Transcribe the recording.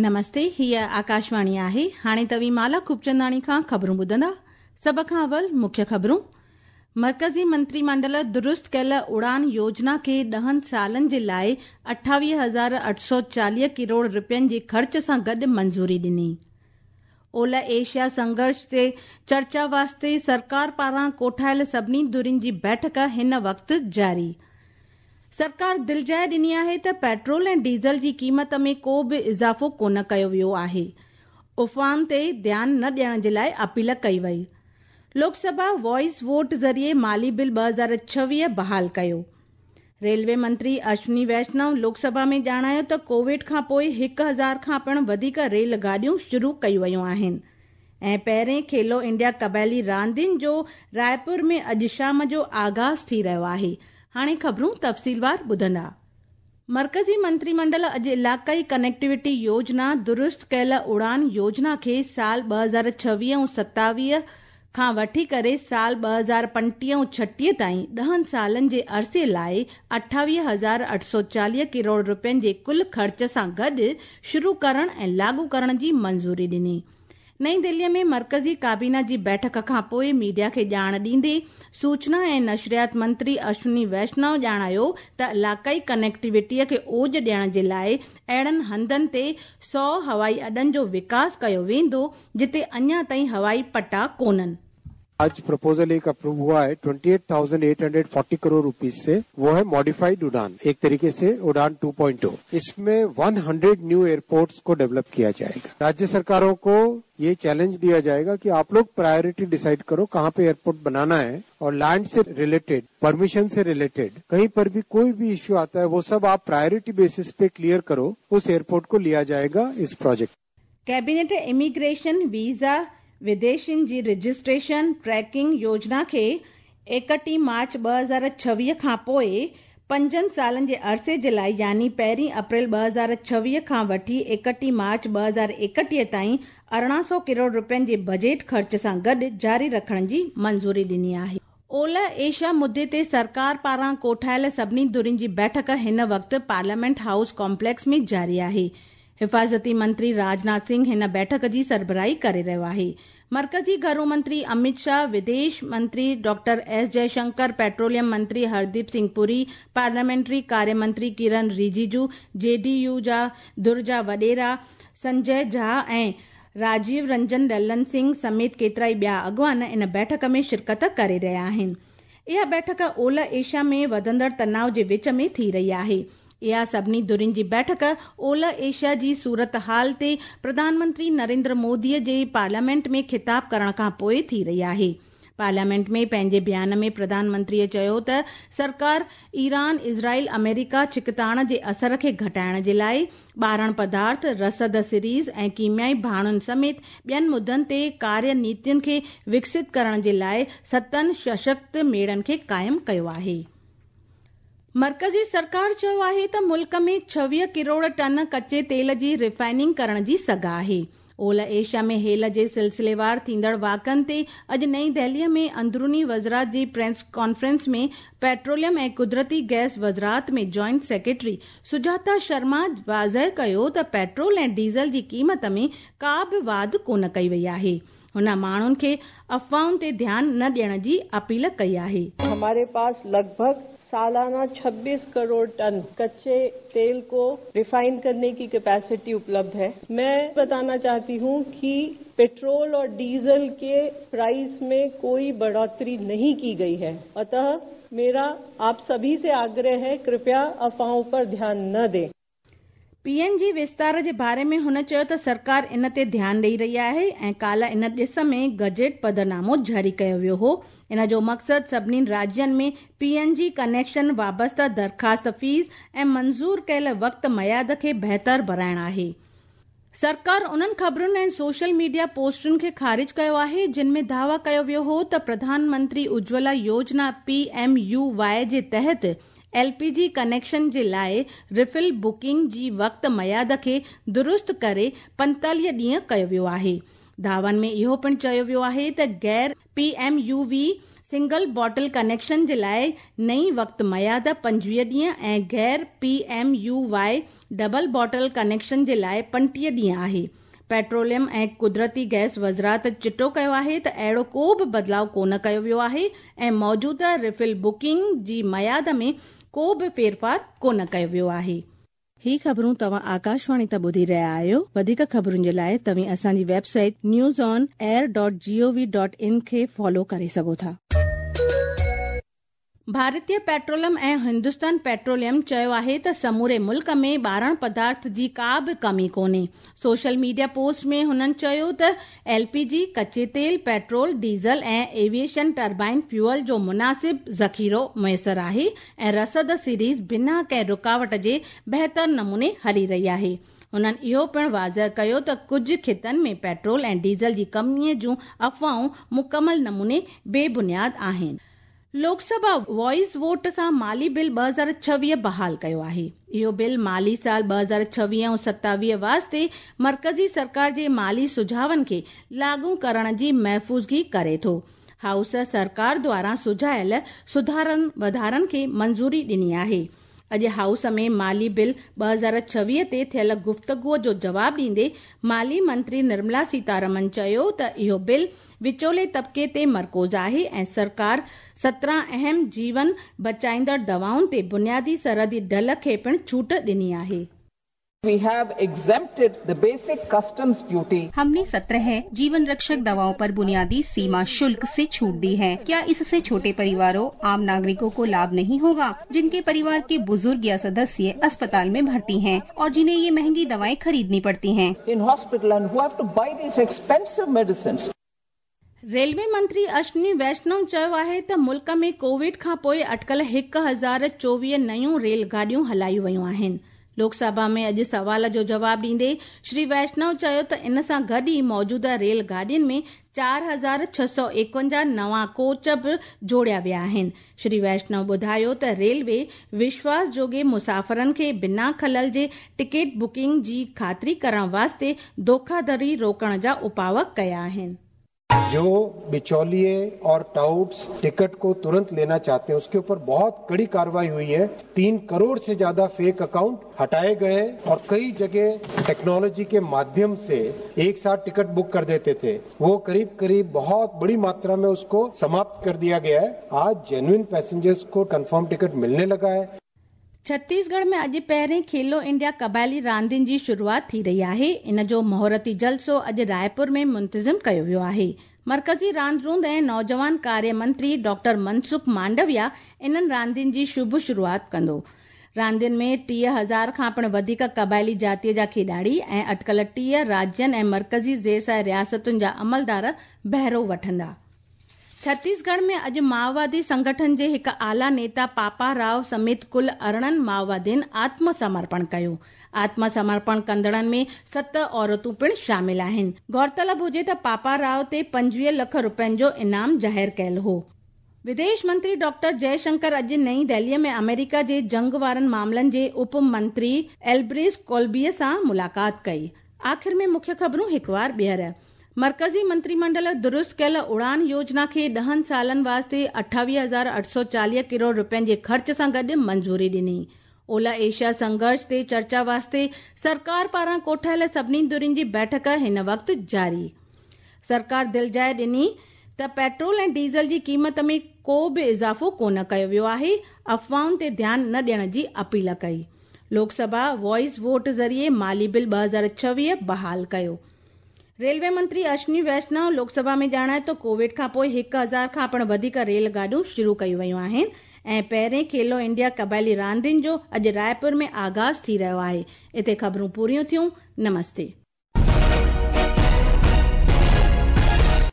نمستي هيء آڪاشواڻي آهي هاڻي توهين مالا خوبچنداڻي کان خبرون ٻڌندا سڀ کان اول مکيه خبرون مرڪزي منتري منڊل درست ڪيل اڙان يوجنا کي ڏهن سالن جي لاء 28840 ڪروڙ رپين جي خرچ سان گڏ منظوري ڏني. اولهه ايشيا سنگهرش تي چرچا واسطي سرڪار پاران ڪوٺايل سڀني ڌرين جي بيٺڪ هن وقت جاري. سرڪار دلجاء ڏني آهي ته پيٽرول ۽ ڊيزل جي قيمت ۾ ڪو به اضافو ڪونه ڪيو ويو آهي. افواهن تي ڌيان نه ڏيڻ جي لاء اپيل ڪئي وئي. لوڪ سڀا وائس ووٽ ذريعي مالي بل 2026 بحال ڪيو. ريلوي منتري اشوني ويشنو لوڪ سڀا ۾ ڄاڻايو ته ڪووڊ کان پوء 1000 کان پڻ وڌيڪ ريل گاڏيون شروع ڪيون ويون آهن ۽ پهرين کيلو انڊيا قبائلي راندين جو رائپور ۾ اڄ شام جو آغاز ٿي رهيو آهي. هاڻي خبرون تفصيلوار ٻڌندا. مرڪزي منتري منڊل اڄ علاقائي ڪنيڪٽيوٽي يوجنا درست ڪيل اڙان يوجنا کي سال 2026 ۽ 27 کان وٺي ڪري سال 2025 ۽ 36 تائين ڏهن سالن جي عرصي لاء 28840 ڪروڙ رپين جي ڪل خرچ سان گڏ شروع ڪرڻ ۽ لاڳو ڪرڻ جي منظوري ڏني. نئين دهلي ۾ مرڪزي ڪابينا جي بيٺڪ کان پوء ميڊيا کي ڄاڻ ڏيندي سوچنا ۽ نشريات منتري اشوني ويشنو ڄاڻايو ته علاقائي ڪنيڪٽيوٽي کي اوج ڏيڻ جي لاء اهڙن هنڌن تي 100 هوائي اڏن جو وڪاس ڪيو ويندو جتي اڃا تائين هوائي پٽا ڪونهن. आज प्रपोजल एक अप्रूव हुआ है 28,840 करोड़ रुपीस से, वो है मॉडिफाइड उड़ान, एक तरीके से उड़ान 2.0। इसमें 100 न्यू एयरपोर्ट्स को डेवलप किया जाएगा। राज्य सरकारों को ये चैलेंज दिया जाएगा कि आप लोग प्रायोरिटी डिसाइड करो कहाँ पे एयरपोर्ट बनाना है और लैंड से रिलेटेड, परमिशन से रिलेटेड कहीं पर भी कोई भी इश्यू आता है वो सब आप प्रायोरिटी बेसिस पे क्लियर करो, उस एयरपोर्ट को लिया जाएगा इस प्रोजेक्ट। कैबिनेट इमिग्रेशन वीज़ा विदेशियुनि जी रजिस्ट्रेशन ट्रैकिंग योजना खे 31 मार्च 2026 खां पोइ 5 सालनि जे अरसे जे लाइ يعني 1 अप्रैल 2026 खां वठी 31 मार्च 2031 ताईं 1800 ڪروڙ رپين جي بجيٽ خرچ سان گڏ جاري رکڻ جي منظوري ڏني آهي. اولهه ايشيا مدي تي سرڪار پاران ڪوٺايل سڀني ڌرين جي بيٺڪ هن وقت پارليامينٽ هائوس ڪامپليڪس ۾ جاري آهي. حفاظتي منتري راجناٿ سنگهه هن بيٺڪ جي سربراهي ڪري رهيو آهي. مرڪزي گهرو منتري امت شاهه، وديش منتري ڊاڪٽر ايس جئشنڪر، پيٽروليم منتري هرديپ سنگهه پوري، پارليامينٽري ڪاريه منتري Kiren Rijiju, J D U جا ڌر جا وڏيرا سنجي جها ۽ راجيو رنجن للن سنگهه سميت ڪيترائي ٻيا اڳواڻ ان بيٺڪ ۾ شرڪت ڪري رهيا آهن. اها بيٺڪ اولهه ايشيا ۾ وڌندڙ تناء جي وچ ۾ ٿي رهي آهي. اها سڀني ڌرين جي بيٺڪ اولهه ايشيا جي صورتحال تي پرڌان منتري نريندر مودي جي پارليامينٽ ۾ خطاب ڪرڻ کان پوء ٿي رهي آهي. پارليامينٽ ۾ پنهنجي بيان ۾ پرڌان منتري چيو ته سرڪار ايران اسرائيل آمريڪا ڇڪتاڻ جي اثر کي گهٽائڻ جي لاء ٻارڻ پدارٿ، رسد سريز ۽ ڪيميائي ڀاڻن سميت ٻين مدن تي ڪاريه نيتين کي وڪست ڪرڻ جي لاء ستن سشڪت ميڙن کي قائم ڪيو آهي. مرڪزي سرڪار چيو آهي ته ملڪ ۾ 26 ڪروڙ ٽن ڪچي تيل جي ريفائننگ ڪرڻ جي سگهه آهي. اولهه ايشيا ۾ هيل جي سلسليوار ٿيندڙ واقعن تي اڄ نئين دهلي ۾ اندروني وزارت جي پريس ڪانفرنس ۾ پيٽروليم ۽ قدرتي گئس وزارت ۾ جوائنٽ سيڪريٽري سجاتا شرما واضح ڪيو ته پيٽرول ۽ ڊيزل جي قيمت ۾ ڪا به واڌ ڪونه ڪئي وئي آهي. هن ماڻهن کي افواهن تي ڌيان نه ڏيڻ جي اپيل ڪئي آهي. هماري پاس لڳ ڀڳ سالانه 26 ڪروڙ ٽن ڪچي تيل ڪو ريفائن ڪرني ڪي ڪيپيسٽي اپلبڌ هي. مين بتانا چاهتي هون ڪي پيٽرول اور ڊيزل ڪي پرائس مين ڪوئي بڙهوتري نهين ڪي گئي هي. اتهه ميرا آپ سڀي سي آگرهه هي ڪرپيا افواهون پر ڌيان نه دين. پي اين جي وستار جي باري ۾ هن چيو ته سرڪار ان تي ڌيان ڏئي رهي آهي ۽ ڪالهه ان ڏس ۾ گزيٽ پڌرنامو جاري ڪيو ويو هو. ان جو مقصد سڀني راجين ۾ پي اين جي ڪنيڪشن وابسته درخواست فيس ۽ منظور ڪيل وقت ميعاد کي بهتر بڻائڻ آهي. سرڪار انهن خبرن ۽ سوشل ميڊيا پوسٽن کي خارج ڪيو آهي جن ۾ دعويٰ ڪيو ويو هو ته پرڌان منتري اجولا يوجنا، پي ايم يو واء، جي تحت ايل پي جي ڪنيڪشن جي لاء ريفل بڪنگ جي وقت ميعاد کي درست ڪري 45 ڏينهن ڪيو ويو آهي. دعوائن ۾ اهو پڻ چيو ويو آهي ته غير P M U V single bottle connection جي لاءِ نئين وقت ميعاد 25 ڏينهن ۽ غير P M U Y double bottle connection جي لاءِ 35 ڏينهن آهي. پيٽروليم ۽ قدرتي گئس وزارت چٽو ڪيو آهي ته اهڙو ڪو به بدلاءُ ڪونه ڪيو ويو آهي ۽ موجوده ريفل بڪنگ جي ميعاد ۾ ڪو به ڦيرڦار ڪونه ڪيو ويو آهي. هي خبرون توهان آڪاشواڻي تان ٻڌي رهيا آهيو. وڌيڪ خبرن جي لاءِ توهين اسان جي website news on air dot G O V dot in کي فالو ڪري سگهو ٿا. ڀارتيه پيٽروليم ۽ هندستان پيٽروليم چيو آهي ته سموري ملڪ ۾ ٻارڻ پدارٿ جي ڪا به ڪمي ڪونهي. سوشل ميڊيا پوسٽ ۾ هنن چيو ته ايل پي جي، ڪچي تيل، پيٽرول، ڊيزل ۽ ايوي ايشن ٽربائن فيول جو مناسب ذخيرو ميسر آهي ۽ رسد سيريز بنا ڪنهن رڪاوٽ جي بهتر نموني هلي رهي آهي. هنن اهو پڻ واضح ڪيو ته ڪجهه خطن ۾ پيٽرول ۽ ڊيزل جي ڪمي جون افواهون مڪمل نموني بي بنياد آهن. لوڪ سڀا وائس ووٽ سان مالي بل 2026 بحال ڪيو آهي. اهو بل مالي سال 2026 ۽ 27 واسطي مرڪزي سرڪار جي مالي سجهاون کي لاڳو ڪرڻ جي محفوظگي ڪري ٿو. هائوس سرڪار دواران سجهايل سڌارن وڌارن کي منظوري ڏني آهي. اڄ هائوس ۾ مالي بل 2026 تي ٿيل گفتگو جو جواب ڏيندي مالي منتري نرملا سيتارمن چيو ته اهو بل وچولي طبقي تي مرڪوز آهي ۽ سرڪار 17 اهم جيون بچائيندڙ دوائن تي بنيادي سرحدي ڍل کي پڻ ڇوٽ ڏني آهي. We have exempted the basic customs duty. हमने 17 जीवन रक्षक दवाओं पर बुनियादी सीमा शुल्क से छूट दी है। क्या इससे छोटे परिवारों, आम नागरिकों को लाभ नहीं होगा, जिनके परिवार के बुजुर्ग या सदस्य अस्पताल में भर्ती हैं और जिन्हें ये महंगी दवाएं खरीदनी पड़ती हैं? In hospital and who have to buy these expensive medicines. Railway منتري اشوني ويشنو چيو آهي ته ملڪ ۾ ڪووڊ کان پوءِ اٽڪل 1024 نيون ريل گاڏيون هلايون ويون آهن. لوڪ سڀا ۾ اڄ سوال جو جواب ڏيندي شري ويشنو چيو ته ان سان گڏ ئي موجوده ريل گاڏين ۾ 4651 نوان ڪوچ به جوڙيا ويا آهن. شري ويشنو ٻڌايو ته ريلوي وشواس جوڳي مسافرن کي بنا خلل جي ٽڪيٽ بڪنگ جي خاطري ڪرڻ واسطي ڌوکاڌڙي روڪڻ جا اپاءَ ڪيا آهن. جو बिचौलिए और टाउट्स टिकट को तुरंत लेना चाहते हैं, उसके ऊपर बहुत कड़ी कार्रवाई हुई है। 3 करोड़ से ज्यादा फेक अकाउंट हटाए गए और कई जगह टेक्नोलॉजी के माध्यम से एक साथ टिकट बुक कर देते थे, वो करीब करीब बहुत बड़ी मात्रा में उसको समाप्त कर दिया गया है। आज जेन्युइन पैसेंजर्स को कंफर्म टिकट मिलने लगा है। छत्तीसगढ़ में अॼु पहिरीं खेलो इंडिया क़बाइली रांदियुनि जी शुरूआत थी रही आहे। इन जो मुहूर्ती जलसो अॼु रायपुर में मुंतज़िम कयो वियो आहे। मर्कज़ी रांदि रूंद ऐं नौजवान कार्य मंत्री डॉक्टर मनसुख मांडविया इन्हनि रांदियुनि जी शुभ शुरूआत कंदो। रांदियुनि में 30,000 खां पिणु वधीक क़बाइली जातीअ जा खिॾाड़ी ऐं अटकल 30 राज्यनि ऐं मर्कज़ी ज़ेर रियासतुनि जा अमलदार बहिरो वठंदा। छत्तीसगढ़ में अॼु माओवादी संगठन जे हिकु आला नेता पापा राव समेत कुल 18 माओवादियुनि आत्मसमर्पण कयो। आत्मसमर्पण कंदड़नि में 7 औरतूं पिणु शामिल आहिनि। गौरतलब हुजे त पापा राव ते 25 लख रुपयनि जो इनाम ज़ाहिर कयल हो। विदेश मंत्री डॉक्टर जयशंकर अॼु नई दिल्लीअ में अमेरिका जे जंग वारनि मामलनि जे उप मंत्री एल्ब्रिज कोल्बीअ सां मुलाक़ात कई। आख़िर में मुख्य ख़बरूं हिकु वार ॿीहर। मर्कज़ी मंत्रीमंडल दुरुस्त कयल उड़ान योजना खे 10 सालनि वास्ते 28,840 करोड़ रुपयनि जे ख़र्च सां गॾु मंज़ूरी ॾिनी। ओला एशिया संघर्ष ते चर्चा वास्ते सरकार पारां कोठायल सभिनी धुरियुनि जी बैठक हिन वक़्तु जारी। सरकार दिलजाइ ॾिनी त पेट्रोल ऐं डीज़ल जी क़ीमत में को बि इज़ाफ़ो कोन कयो वियो आहे, अफ़वाहुनि ते ध्यानु न ॾियण जी अपील कई। लोकसभा वॉइस वोट ज़रिए माली बिल 2026 बहाल कयो। रेलवे मंत्री अश्विनी वैष्णव लोकसभा में ॼाणायो त कोविड खां पोइ 1000 खां पिणु वधीक रेल गाॾियूं शुरू कयूं वयूं आहिनि ऐं पहिरीं खेलो इंडिया क़बाइली रांदियुनि जो अॼु रायपुर में आगाज़ थी रहियो आहे। हिते ख़बरूं पूरियूं थियूं। नमस्ते।